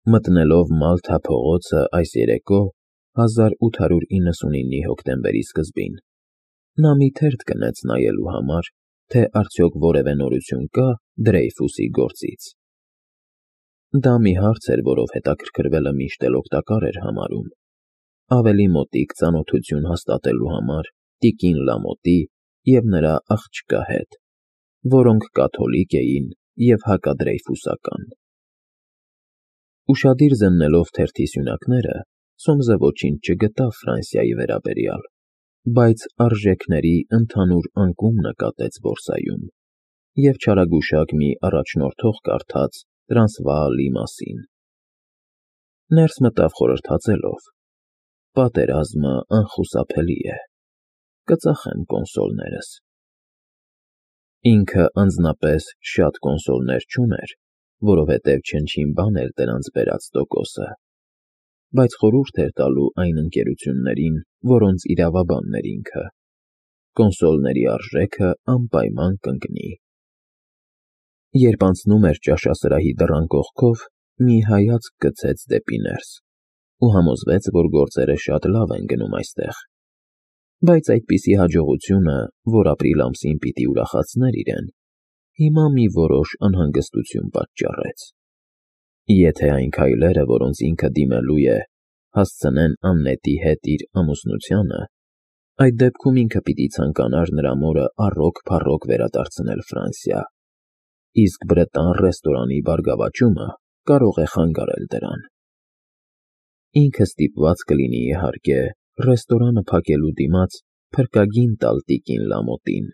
Մտնելով Մալթա փողոցը այս երեկո 1899-ի հոկտեմբերի սկզբին, նա մի թերթ գնեց նայելու համար, թե արդյոք որևէ նորություն կա Դրեյֆուսի գործից։ Դա մի հարց էր, որով հետաքրքրվելը միշտ էլ օգտակար էր համարում, ավելի մոտիկ ծանոթություն հաստատելու համար տիկին Լամոտի և նրա աղջկա հետ, որոնք կաթոլիկ էին և հակադրեյֆուսական։ Ուշադիր զննելով թերթի սյունակները, Սոմսը ոչինչ չգտավ Ֆրանսիայի վերաբերյալ, բայց արժեքների ընդհանուր անկում նկատեց բորսայում և չարագուշակ մի առաջնորդող կարդաց Տրանսվաալի մասին։ Ներս մտավ խորհրդածելով. «Պատերազմը անխուսափելի է, կծախեմ կոնսոլներս»։ Ինքը անձնապես շատ կոնսոլներ չուներ, որովհետև չնչին բան էր դրանց բերած տոկոսը, բայց խորհուրդ էր տալու այն ընկերություններին, որոնց իրավաբանն էր ինքը. կոնսոլների արժեքը անպայման կընկնի։ Երբ անցնում էր ճաշասրահի դռան կողքով, մի հայացք գցեց դեպի ներս ու համոզվեց, որ գործերը շատ լավ են գնում այստեղ, բայց այդպիսի հաջողությունը, որ ապրիլ ամսին պիտի ուրախացներ իրեն, հիմա մի որոշ անհանգստություն պատճառեց։ Եթե այն քայլերը, որոնց ինքը դիմելու է, հասցնեն Աննետի հետ իր ամուսնությանը, այդ դեպքում ինքը պիտի ցանկանար նրա մորը առօգ-փառօգ վերադարձնել Ֆրանսիա, իսկ Բրետան ռեստորանի բարգավաճումը կարող է խանգարել դրան։ Ինքը ստիպված կլինի, իհարկե, ռեստորանը փակելու դիմաց փրկագին տալ տիկին Լամոտին,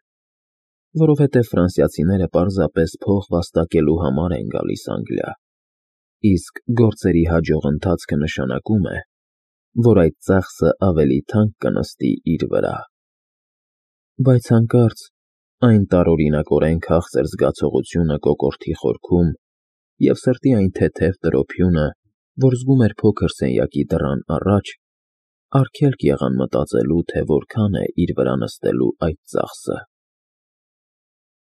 որովհետև ֆրանսիացիները պարզապես փող վաստակելու համար են գալիս Անգլիա, իսկ գործերի հաջող ընթացքը նշանակում է, որ այդ ծախսը ավելի թանկ կնստի իր վրա։ Բայց հանկարծ այն տարօրինակորեն քաղցր զգացողությունը կոկորդի խորքում և սրտի այն թեթև տրոփյունը, որ զգում էր փոքր սենյակի դռան առաջ, արգելք եղան մտածելու, թե որքան է իր վրա նստելու այդ ծախսը։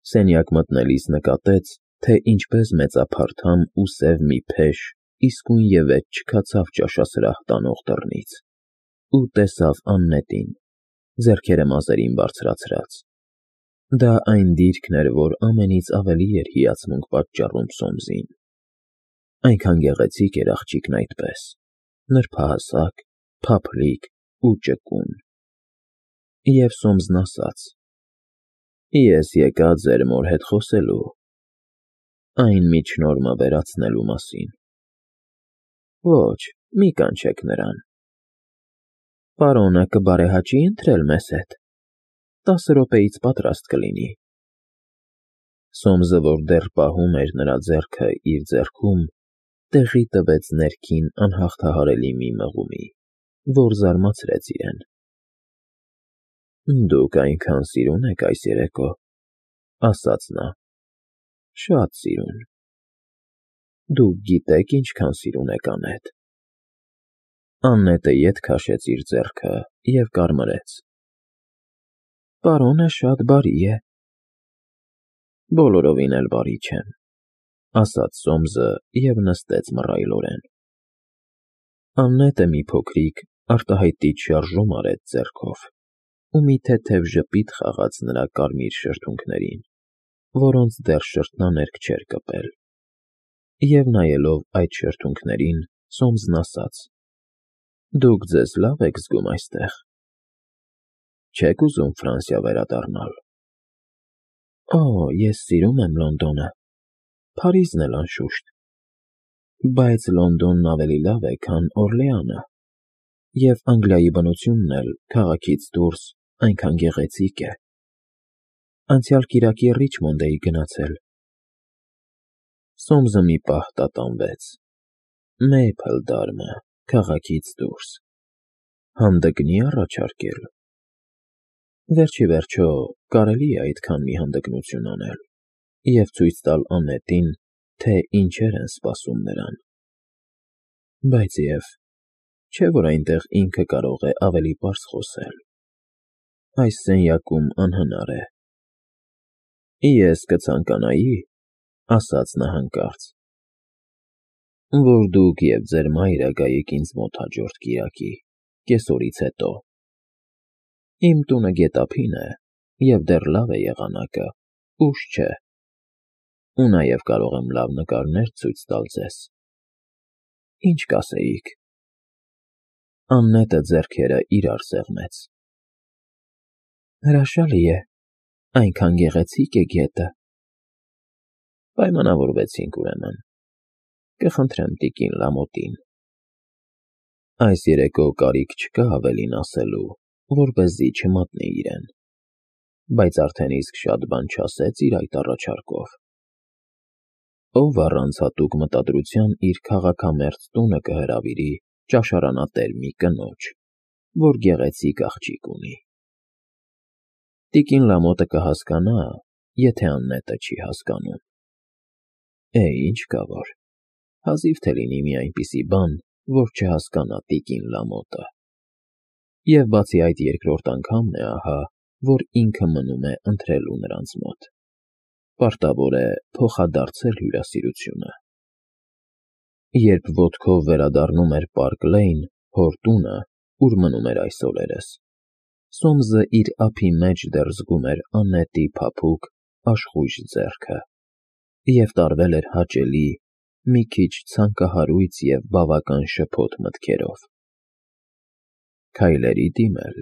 Սենյակ մտնելիս նկատեց, թե ինչպես մեծափարթամ ու սև մի փեշ իսկույնևեթ չքացավ ճաշասրահ տանող դռնից ու տեսավ Աննետին, ձեռքերը մազերին բարձրացրած։ Դա այն դիրքն էր, որ ամենից ավելի էր հիացմունք պատճառում Սոմսին։ Այնքան գեղեցիկ էր աղջիկն այդպես, նրբահասակ, փափլիկ ու ճկուն։ Եվ Սոմսն ասաց. «Ես եկա ձեր մոր հետ խոսելու, այն միջնորմը վերացնելու մասին»։ Ոչ, մի կանչեք նրան։ Պարոնը կբարեհաճի՞ ընտրել մեզ հետ։ 10 րոպեից պատրաստ կլինի։ Սոմսը, որ դեռ պահում էր նրա ձեռքը իր ձեռքում, տեղի տվեց ներքին անհաղթահարելի մի մղումի, որ զարմացրեց իրեն։ «Դուք այնքան սիրուն եք այս երեկո», ասաց նա, «շատ սիրուն։ Դուք գիտեք ինչքան սիրուն եք Աննետ»։ Աննետը ետ քաշեց իր ձեռքը և կարմրեց։ «Պարոնը շատ բարի է»։ «Բոլորովին էլ բարի չեմ», ասաց Սոմսը և նստեց մռայլորեն։ Աննետը մի փոքրիկ արտահայտիչ շարժում արեց ձեռքով ու մի թեթև ժպիտ խաղաց նրա կարմիր շրթունքներին, որոնց դեռ շրթնաներկ չէր կպել, և նայելով այդ շրթունքներին, Սոմսն ասաց. «Դուք ձեզ լավ եք զգում այստեղ։ Չե՞ք ուզում Ֆրանսիա վերադառնալ»։ «Օ, ես սիրում եմ Լոնդոնը, Փարիզն էլ անշուշտ, բայց Լոնդոնն ավելի լավ է, քան Օրլեանը, և Անգլիայի բնությունն էլ քաղաքից դուրս այնքան գեղեցիկ է։ Անցյալ կիրակի Ռիչմոնդ էի գնացել»։ Սոմսը մի պահ տատանվեց։ Մեյփլդարմը, քաղաքից դուրս, հանդգնի՞ առաջարկել։ Վերջ ի վերջո, կարելի է այդքան մի հանդգնություն անել և ցույց տալ Աննետին, թե ինչեր են սպասում նրան։ Բայց և չէ՞ որ այնտեղ ինքը կարող է ավելի պարզ խոսել։ Այս սենյակում անհնար է։ «Ես կցանկանայի», ասաց նա հանկարծ, որ դուք և ձեր մայրը գայիք ինձ մոտ հաջորդ կիրակի, կեսօրից հետո։ Իմ տունը գետափին է, և դեռ լավ է եղանակը, ուշ չէ, ու նաև կարող եմ լավ նկարներ ցույց տալ ձեզ։ Ինչ կասեիք։ Աննետը ձեռքերը իրար սեղմեց։ Հրաշալի է, այնքան գեղեցիկ է գետը։ Պայմանավորվեցինք ուրեմն։ Կխնդրեմ տիկին Լամոտին։ Այս երեկո կարիք չկա ավելին ասելու, որպեսզի չմատնի իրեն, բայց արդեն իսկ շատ բան չասեց իր այդ առաջարկով։ Ով առանց հատուկ մտադրության իր քաղաքամերձ տունը կհրավիրի ճաշարանատեր մի կնոջ, որ գեղեցիկ աղջիկ ունի։ Տիկին Լամոտը կհասկանա, եթե Աննետը չի հասկանում։ Ինչ կա որ, հազիվ թե լինի մի այնպիսի բան, որ չհասկանա տիկին Լամոտը։ Եվ բացի այդ երկրորդ անգամն է ահա, որ ինքը մնում է ընթրելու նրանց մոտ։ Պարտավոր է փոխադարձել հյուրասիրությունը։ Երբ ոտքով վերադառնում էր Պարկ Լեյն, հոր տունը, ուր մնում էր այս օրերս, Սոմսը իր ափի մեջ դեռ զգում էր Աննետի փափուկ, աշխույժ ձեռքը և տարվել էր հաճելի, մի քիչ ցանկահարույց և բավական շփոթ մտքերով։ Քայլերի դիմել։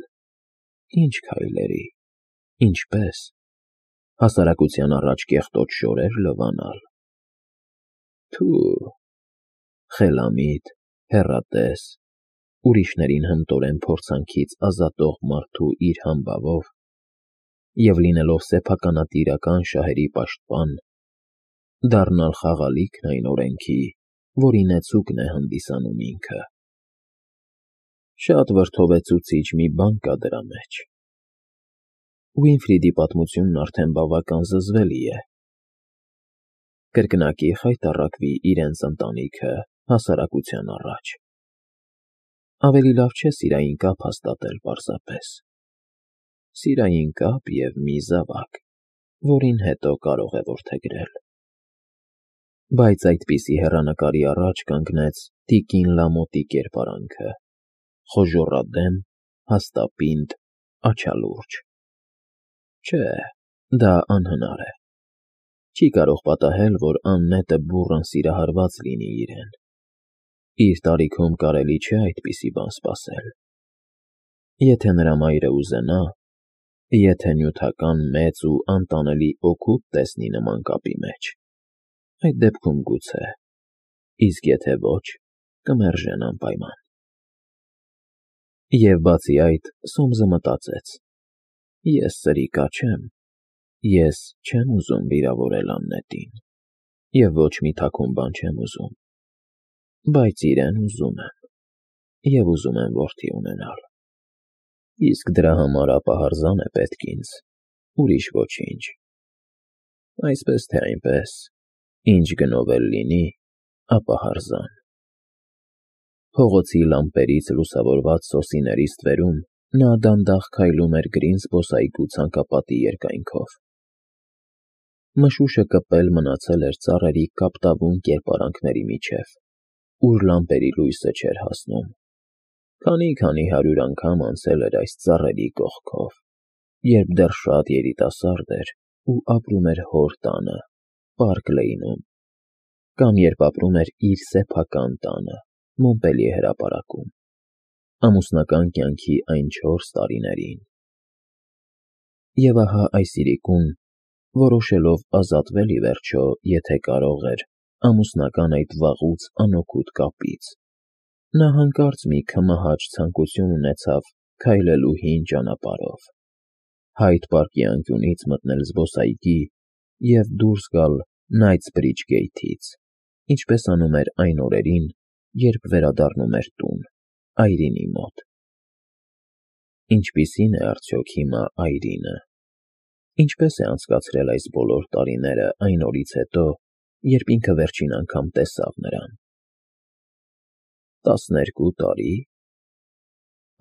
Ինչ քայլերի։ Ինչպես։ Հասարակության առաջ կեղտոտ շորեր լվանալ։ Թու, խելամիտ, հեռատես, ուրիշներին հմտորեն փորձանքից ազատող մարդու իր համբավով և լինելով սեփականատիրական շահերի պաշտպան, դառնալ խաղալիքն այն օրենքի, որի նեցուկն է հանդիսանում ինքը։ Շատ վրդովեցուցիչ մի բան կա դրա մեջ։ Ուինֆրիդի պատմությունն արդեն բավական զզվելի է։ Կրկնակի խայտառակվի իրենց ընտանիքը հասարակության առաջ։ Ավելի լավ չէ սիրային կապ հաստատել պարզապես։ Սիրային կապ և մի զավակ, որին հետո կարող է որդեգրել։ Բայց այդպիսի հեռանկարի առաջ կանգնեց տիկին Լամոտի կերպարանքը՝ խոժոռադեմ, հաստապինդ, աչալուրջ։ Չէ, դա անհնար է։ Չի կարող պատահել, որ Աննետը բուռն սիրահարված լինի իրեն։ Իր տարիքում կարելի չէ այդպիսի բան սպասել։ Եթե նրա մայրը ուզենա, եթե նյութական մեծ ու անտանելի օգուտ տեսնի նման կապի մեջ, այդ դեպքում գուցե, իսկ եթե ոչ, կմերժեն անպայման։ Եվ բացի այդ, Սոմսը մտածեց. ես սրիկա չեմ, ես չեմ ուզում վիրավորել Աննետին, և ոչ մի թաքուն բան չեմ ուզում, բայց իրեն ուզում եմ, և ուզում եմ որդի ունենալ։ Իսկ դրա համար ապահարզան է պետք ինձ, ուրիշ ոչինչ։ Այսպես թե այնպես, ինչ գնով էլ լինի, ապահարզան։ Փողոցի լամպերից լուսավորված սոսիների ստվերում նա դանդաղ քայլում էր գրին զբոսայգու ցանկապատի երկայնքով։ Մշուշը կպել մնացել էր ծառերի կապտավուն կերպարանքների միջև, ուր լամպերի լույսը չէր հասնում։ Քանի 100 անգամ անցել էր այս ծառերի կողքով, երբ դեռ շատ երիտասարդ էր ու ապրում էր հոր տանը, Պարկ Լեյնում, կամ երբ ապրում էր իր սեփական տանը, Մոնպելիե հրապարակում, ամուսնական կյանքի այն 4 տարիներին։ Եվ ահա այս իրիկուն, որոշելով ազատվել ի վերջո, եթե կարող էր, ամուսնական այդ վաղուց անօգուտ կապից, նա հանկարծ մի քմահաճ ցանկություն ունեցավ քայլելու հին ճանապարհով, Հայդ պարկի անկյունից մտնել զբոսայգի և դուրս գալ Knightsbridge Gate-ից, ինչպես անում էր այն օրերին, երբ վերադառնում էր տուն, այրինի մոտ։ Ինչպիսի՞ն է արդյոք հիմա այրինը։ Ինչպես է անցկացրել այս բոլոր տարիները այն օրից հետո, երբ ինքը վերջին անգամ տեսավ նրան։ 12 տարի։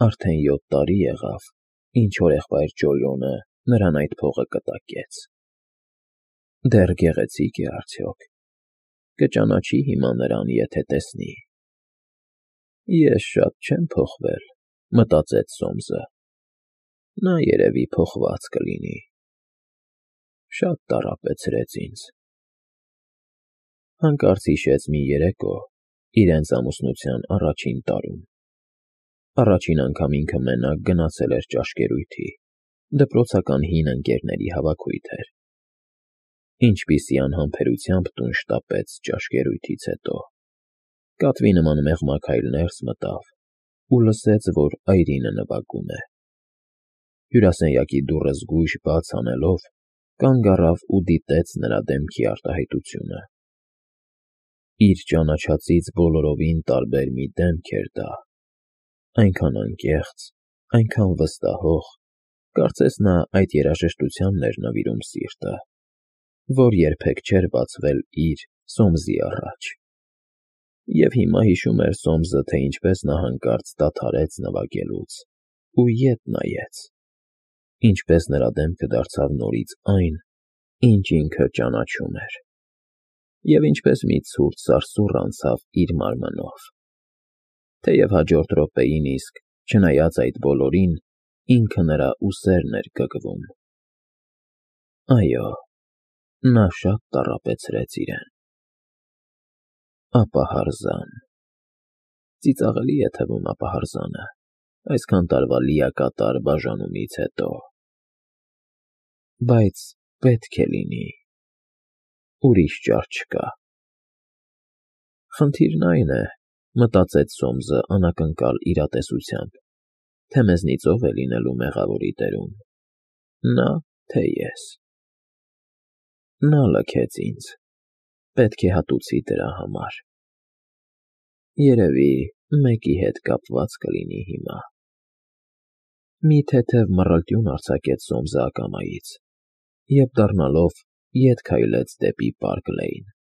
Արդեն 7 տարի եղավ, ինչ հորեղբայր Ջոլիոնը նրան այդ փողը կտակեց։ Դեռ գեղեցիկ է արդյոք։ կճանաչի հիմա նրան, եթե տեսնի։ Ես շատ չեմ փոխվել, մտածեց Սոմսը։ Նա երևի փոխված կլինի։ Շատ տառապեցրեց ինձ։ Հանկարծ հիշեց մի երեկո իրենց ամուսնության առաջին տարում։ Առաջին անգամ ինքը մենակ գնացել էր ճաշկերույթի, դպրոցական հին ընկերների հավաքույթ էր։ Ինչպիսի անհամբերությամբ տուն շտապեց ճաշկերույթից հետո։ Կատվի նման մեղմաքայլ ներս մտավ ու լսեց, որ այրինը նվագում է։ Հյուրասենյակի դուռը զգույշ բաց անելով, կանգ առավ ու դիտեց նրա դեմքի արտահայտությունը։ Իր ճանաչածից բոլորովին տարբեր մի դեմք էր դա, այնքան անկեղծ, այնքան վստահող, կարծես նա այդ երաժշտությանն էր նվիրում սիրտը, որ երբեք չէր բացվել իր Սոմսի առաջ։ Եվ հիմա հիշում էր Սոմսը, թե ինչպես նա հանկարծ դադարեց նվագելուց ու ետ նայեց, ինչպես նրա դեմքը դարձավ նորից այն, ինչ ինքը ճանաչում էր, և ինչպես մի ցուրտ սարսուռ անցավ իր մարմնով, թեև հաջորդ րոպեին իսկ, չնայած այդ բոլորին, ինքը նրա ուսերն էր կկվում։ Այո, նա շատ տառապեցրեց իրեն։ Ապահարզան։ Ծիծաղելի է թվում ապահարզանը, այսքան տարվա լիակատար բաժանումից հետո։ Բայց պետք է լինի։ Ուրիշ ճար չկա։ Խնդիրն այն է, մտածեց Սոմսը անակնկալ իրատեսությամբ, թե մեզնից ով է լինելու մեղավորի դերում՝ նա, թե ես։ Նա լքեց ինձ, պետք է հատուցի դրա համար։ Երևի մեկի հետ կապված կլինի հիմա։ Մի թեթև մռլտյուն արձակեց Սոմսը ակամայից և դառնալով ետ քայլեց դեպի Պարկ Լեյն։